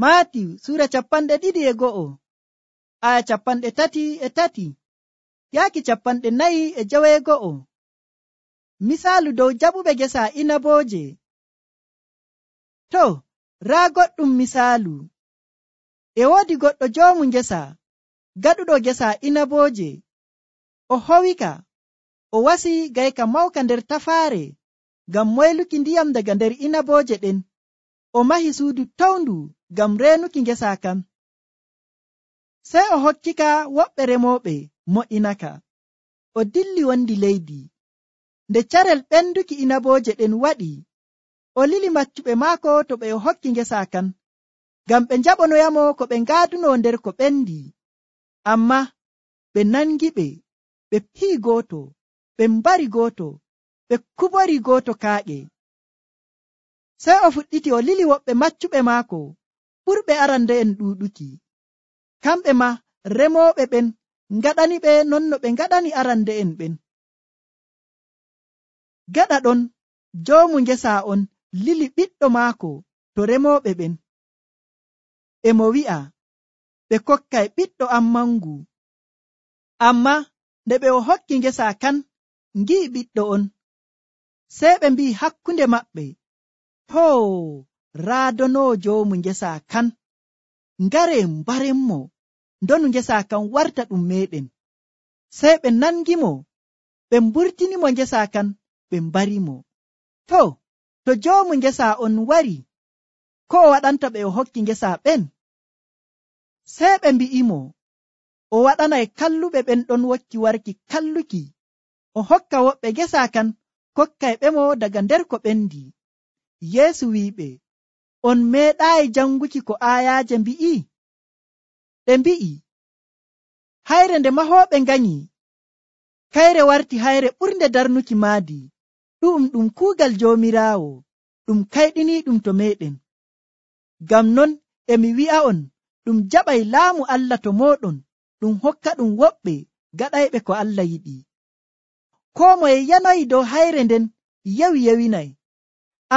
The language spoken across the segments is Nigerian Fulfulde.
Maatiw sura 22 aya 33 yaaki 44. Misaalu dow jaɓuɓe gesa inabooje. To, raa goɗɗum misaalu. E woodi goɗɗo joomu ngesa, gaɗuɗo gesa inabooje. O howika, o wasi gayka mawka nder tafaare ngam moyluki ndiyam daga nder inabooje ɗen. O mahi suudu towndu ngam reenuki ngesa kan. Sey o hokkika woɓɓe remooɓe mo'inaka. O dilli wondi leydi. Nde carel ɓenduki inabooje ɗen waɗi, o lili maccuɓe maako to ɓe o hokki ngesa kan, ngam ɓe njaɓonoyamo ko ɓe ngaaduno nder ko ɓendi. Amma ɓe nangiɓe, ɓe pii gooto, ɓe mbari gooto, ɓe kubori gooto kaaƴe. Sey o fuɗɗiti o lili woɓɓe maccuɓe maako ɓurɓe arande'en ɗuuɗuki. Kamɓe ma remooɓe ɓen ngaɗaniɓe non no ɓe ngaɗani arande'en ɓen. Gaɗa ɗon joomu ngesa on lili ɓiɗɗo maako to remooɓe ɓen. E mo wi'a, ɓe kokkay ɓiɗɗo am mangu. Amma nde ɓe o hokki ngesa kan ngi'i ɓiɗɗo on, sey ɓe mbi'i hakkunde maɓɓe, hoo, raadonoo joomu ngesa kan, ngare mbarenmo, ndonu ngesa kan warta ɗum meɗen. Sey ɓe nangimo, ɓe mburtinimo ngesa kan, ɓe mbarimo. To joomu ngesa on wari, ko o waɗanta ɓe o hokki ngesa ɓen? Sey ɓe mbi'imo, o waɗanay kalluɓe ɓen ɗon wokki warki kalluki. O hokka woɓɓe ngesa kan, kokkay ɓemo daga nder ko ɓendi. Yeesu wi'iɓe, on meeɗaayi janguki ko aayaaje mbi'i? Ɗe mbi'i, hayre nde mahooɓe nganyi, kayre warti hayre ɓurnde darnuki maadi. Ɗum kuugal Joomiraawo, ɗum kayɗiniiɗum to meɗen. Ngam non emi wi'a'on, ɗum jaɓay laamu Allah to mooɗon, ɗum hokka ɗum woɓɓe gaɗayɓe ko Allah yiɗi. Koo moye yanoyi dow hayre nden yewinay,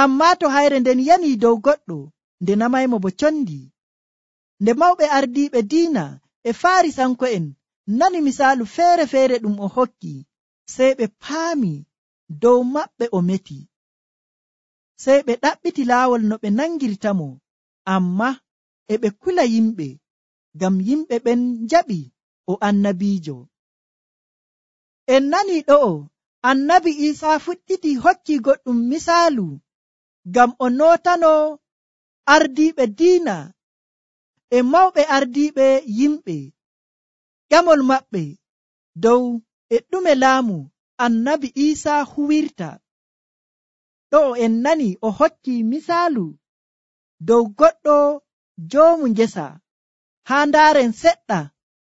ammaa to hayre nden yanii dow goɗɗo, nde namaymo bo condi. Nde mawɓe ardiiɓe diina e Faarisanko'en nani misaalu feere-feere ɗum o hokki, sey ɓe paami dow maɓɓe o meti. Sey ɓe ɗaɓɓiti laawol no ɓe nangirtamo, amma e ɓe kula yimɓe, ngam yimɓe ɓen njaɓi o annabiijo. En nani ɗo'o annabi Iisaa fuɗɗiti hokki goɗɗum misaalu ngam o nootano ardiiɓe diina e mawɓe ardiiɓe yimɓe ƴamol maɓɓe dow e ɗume laamu annabi Iisaa huwirta. Ɗo'o en nani o hokki misaalu dow goɗɗo joomu ngesa. Haa ndaaren seɗɗa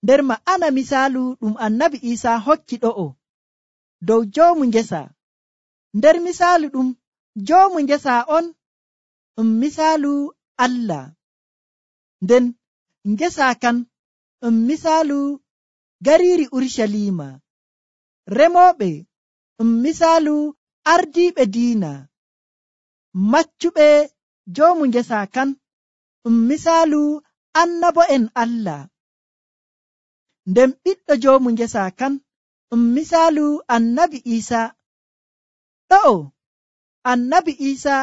nder ma'ana misaalu ɗum annabi Iisaa hokki ɗo'o dow joomu ngesa. Nder misaalu ɗum joomu ngesa on misaalu Allah, nden ngesa kan misaalu gariiri Urshalima. Remooɓe misaalu ardiiɓe diina. Maccuɓe joomu ngesa kan misaalu annabo'en Allah. Nden ɓiɗɗo joomu ngesa kan misaalu annabi Iisaa. Ɗo'o annabi Iisaa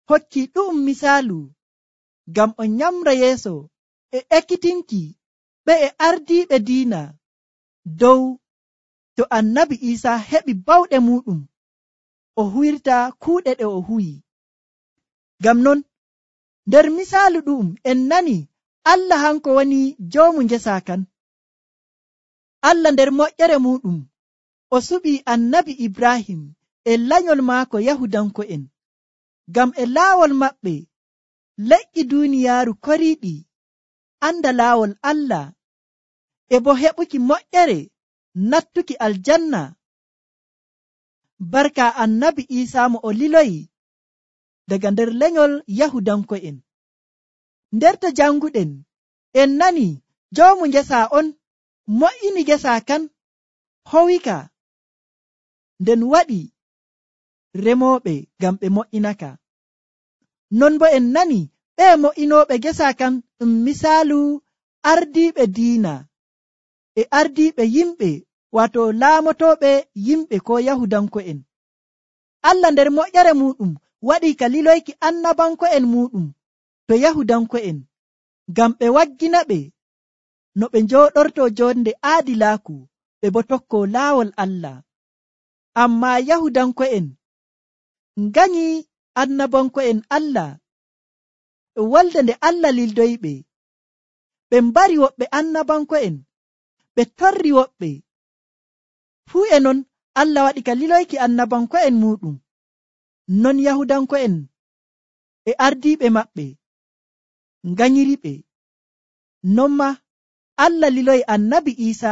hokki ɗu'um misaalu ngam o nyamra yeeso e ekkitinki ɓe e ardiiɓe diina dow to annabi Iisaa heɓi bawɗe muɗum o huwirta kuuɗe ɗe o huwi. Ngam non nder misaalu ɗu'um en nani Allah hanko woni joomu ngesa kan. Allah nder moƴƴere muɗum o suɓi annabi Ibrahim e lanyol maako Yahudanko'en, ngam e laawol maɓɓe leƴƴi duuniyaaru koriiɗi anda laawol Allah e bo heɓuki moƴƴere nattuki aljanna barka annabi Iisaa mo o liloyi daga nder lenyol Yahudanko'en. Nder to janguɗen en nani joomu ngesa on mo'ini ngesa kan, howika, nden waɗi remooɓe ngam ɓe mo'inaka. Non bo en nani ɓe mo'inooɓe gesa kan ɗum misaalu ardiiɓe diina e ardiiɓe yimɓe wato laamotooɓe yimɓe ko yahudanko'en. Allah nder moƴƴere muɗum waɗii ka liloyki annabanko'en muɗum to yahudanko'en ngam ɓe waggina ɓe no ɓe njooɗorto jonde aadilaaku ɓe bo tokko laawol Allah. Ammaa yahudanko'en nganyi annabanko'en Allah wolde nde Allah lildoyiɓe. Ɓe mbari woɓɓe annabanko'en, ɓe torri woɓɓe. Fuu e non Allah waɗi ka liloyki annabanko'en muɗum. Non yahudanko'en e ardiiɓe maɓɓe nganyiriɓe. Non ma Allah liloyi annabi Iisa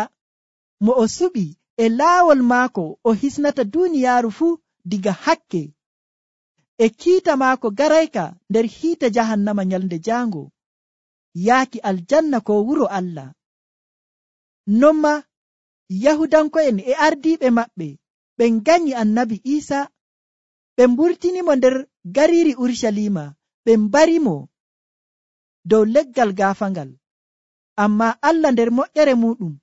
mo o suɓi e laawol maako o hisnata duuniyaaru fuu diga hakke e kiita maako garayka nder hiite jahannama nyalnde jaango yaaki aljanna ko wuro Allah. Non ma yahudanko'en e ardiiɓe maɓɓe ɓe nganyi annabi Iisa, ɓe mburtinimo nder gariiri Urshalima, ɓe mbarimo dow leggal gaafangal. Ammaa Allah nder moƴƴere muɗum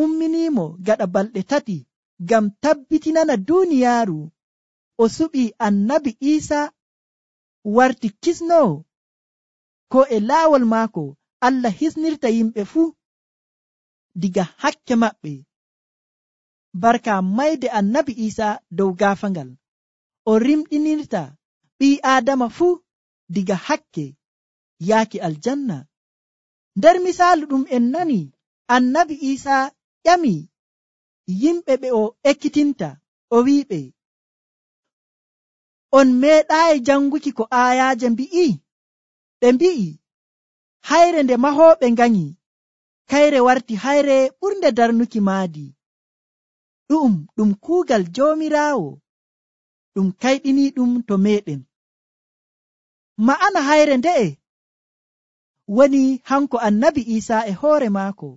umminimo gaɗa balɗe 3 ngam tabbitinana duuniyaaru o suɓi annabi Iisa warti kisnoo ko e laawol maako Allah hisnirta yimɓe fuu diga hakke maɓɓe. Barka mayde annabi Iisa dow gaafangal o rimɗinirta ɓii Aadama fuu diga hakke yaaki aljanna. Nder misaalu ɗum en nani annabi Iisa ƴami yimɓe ɓe o ekkitinta o wi'iɓe, on meeɗaayi janguki ko aayaaje mbi'i? Ɓe mbi'i, hayre nde mahooɓe nganyi kayre warti hayre ɓurnde darnuki maadi. Ɗum kuugal Joomiraawo ɗum kayɗinii ɗum to meeɗen. Ma'ana hayre nde'e woni hanko annabi Iisa e hoore maako.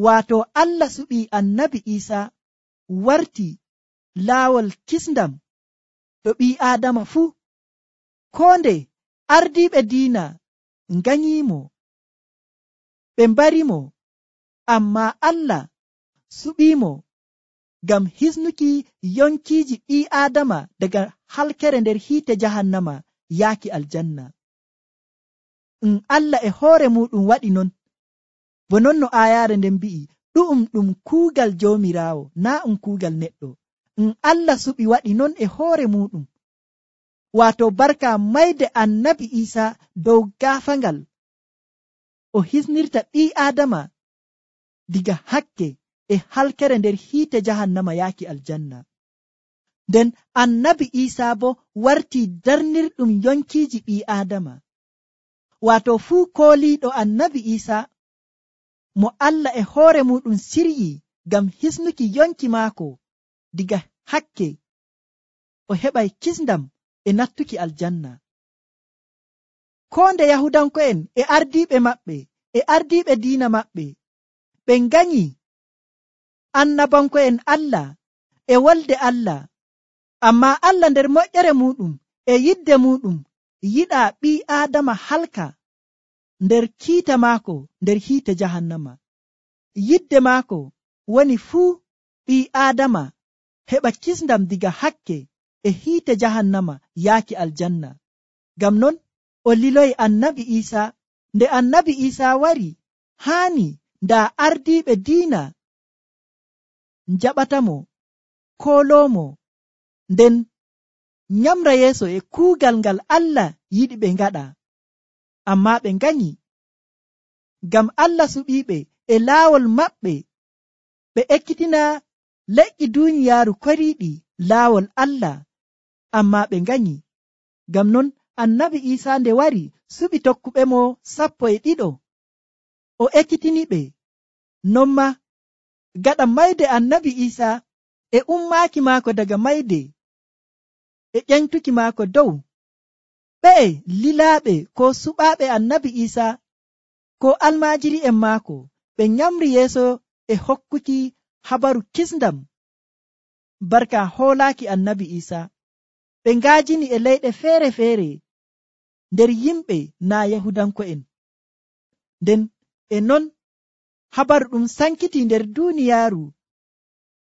Waato Allah suɓii annabi Iisa warti laawol kisndam ɗo ɓii Aadama fuu. Koo nde ardiiɓe diina nganyiimo, ɓe mbarimo, ammaa Allah suɓiimo ngam hisnuki yonkiiji ɓii Aadama daga halkere nder hiite jahannama yaaki aljanna. Allah e hoore muɗum waɗi non, bo non no aayaare nden mbi'i, ɗum kuugal Joomiraawo, naa kuugal neɗɗo. Allah suɓi waɗi non e hoore muɗum, waato barka mayde annabi Iisa dow gaafangal o hisnirta ɓii Aadama diga hakke e halkere nder hiite jahannama yaaki aljanna. Nden annabi Iisa bo warti darnirɗum yonkiiji ɓii Aadama. Waato fuu kooliiɗo annabi Iisa mo Allah e hoore muɗum siryi ngam hisnuki yonki maako diga hakke, o heɓay kisndam e nattuki aljanna. Koo nde yahudanko'en e ardiiɓe maɓɓe e ardiiɓe diina maɓɓe ɓe nganyi annabanko'en Allah e wolde Allah, ammaa Allah nder moƴƴere muɗum e yidde muɗum yiɗaa ɓii Aadama halka nder kiita maako nder hiite jahannama. Yidde maako woni fuu ɓii Aadama heɓa kisndam diga hakke e hiite jahannama yaaki aljanna. Ngam non o liloyi annabi Iisa. Nde annabi Iisa wari, haani ndaa ardiiɓe diina njaɓatamo, kooloomo, nden nyamra yeeso e kuugal ngal Allah yiɗi ɓe ngaɗa. Ammaa ɓe nganyi, ngam Allah suɓiiɓe e laawol maɓɓe ɓe ekkitina leƴƴi duuniyaaru koriiɗi laawol Allah, ammaa ɓe nganyi. Ngam non annabi Iisa nde wari suɓi tokkuɓe mo 12 o ekkitiniɓe. Non ma gaɗa mayde annabi Iisa e ummaaki maako daga mayde e ƴentuki maako dow, ɓe'e lilaaɓe ko suɓaaɓe annabi Iisa ko almaajiri'en maako ɓe nyamri yeeso e hokkuki habaru kisndam barka hoolaaki annabi Iisa. Ɓe ngaajini e leyɗe feere-feere nder yimɓe naa yahudanko'en. Nden e non habaru ɗum sankiti nder duuniyaaru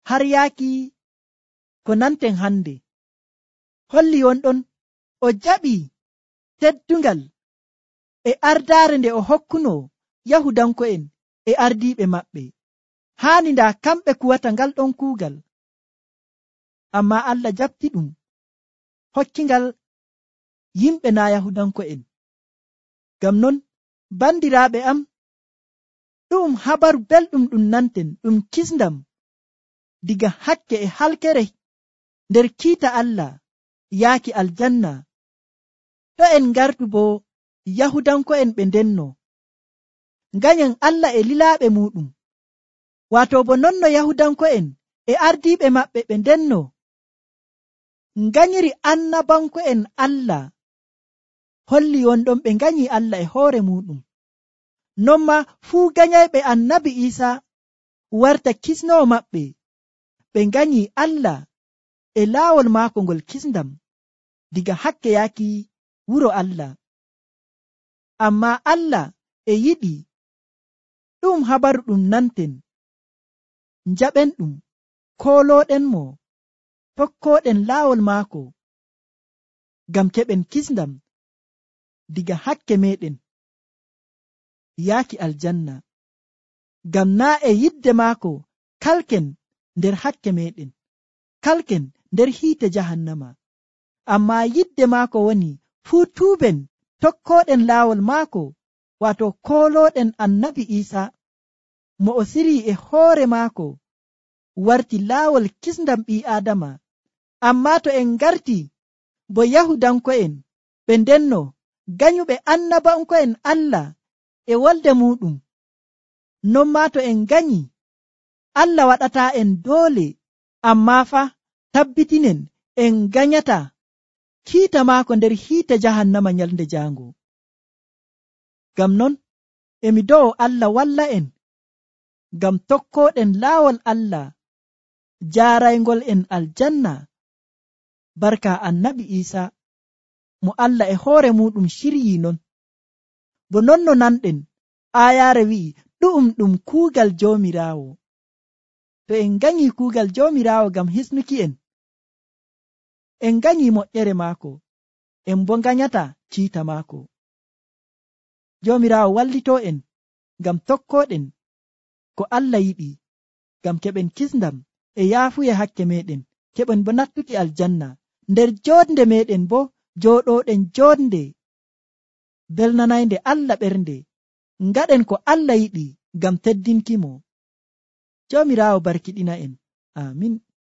har yaaki ko nanten hande. Holli wonɗon o jaɓi teddungal e ardaare nde o hokkuno yahudanko'en e ardiiɓe maɓɓe. Haani ndaa kamɓe kuwata ngal ɗon kuugal, ammaa Allah jaɓti ɗum hokkingal yimɓe naa yahudanko'en. Ngam non bandiraaɓe am, ɗum habaru belɗum ɗum nanten ɗum kisndam diga hakke e halkere nder kiita Allah yaaki aljanna. To en ngartu bo yahudanko'en ɓe ndenno nganyen Allah e lilaaɓe muɗum, waato bo nonno yahudanko'en e ardiiɓe maɓɓe ɓe ndenno nganyiri annabanko'en Allah. Holli wonɗon ɓe nganyi Allah e hoore muɗum. Non ma fuu ganyayɓe annabi Iisa warta kisnowo maɓɓe, ɓe nganyi Allah e laawol maako ngol kisndam diga hakke yaaki wuro Allah. Ammaa Allah e yiɗi ɗum habaru ɗum nanten njaɓen ɗum, koolooɗen mo, tokkooɗen laawol maako ngam keɓen kisndam diga hakke meɗen yaaki aljanna. Ngam naa e yidde maako kalken nder hakke meɗen, kalken nder hiite jahannama, ammaa yidde maako woni fuu tuuben tokkooɗen laawol maako, waato koolooɗen annabi Iisa mo o sirii e hoore maako warti laawol kisndam ɓii aadama. Ammaa to en ngarti bo yahudanko'en ɓe ndenno ganyuɓe annabanko'en Allah e wolde muɗum, non maa to en ganyi Allah waɗataa en doole, ammaa fa tabbitinen en ganyata kiita maako nder hiite jahannama nyalnde jaango. Ngam non emi do'o Allah walla en ngam tokkooɗen laawol Allah jaaraygol en aljanna barka annabi Iisa mo Allah e hoore muɗum shiryii non. Bo nonno nanɗen aayaare wi'i ɗu'um ɗum kuugal Joomiraawo. To en ganyi kuugal Joomiraawo ngam hisnuki en ganyi moƴƴere maako, en bo nganyata ciita maako. Joomiraawo wallitoo en ngam tokkooɗen ko Allah yiɗi, ngam keɓen kisndam e yaafuye hakke meɗen, keɓen bo nattuki aljanna, nder joodnde meɗen bo jooɗooɗen joodnde belnanaynde Allah ɓernde. Ngaɗen ko Allah yiɗi ngam teddinki mo. Joomiraawo barkiɗina en. Amin.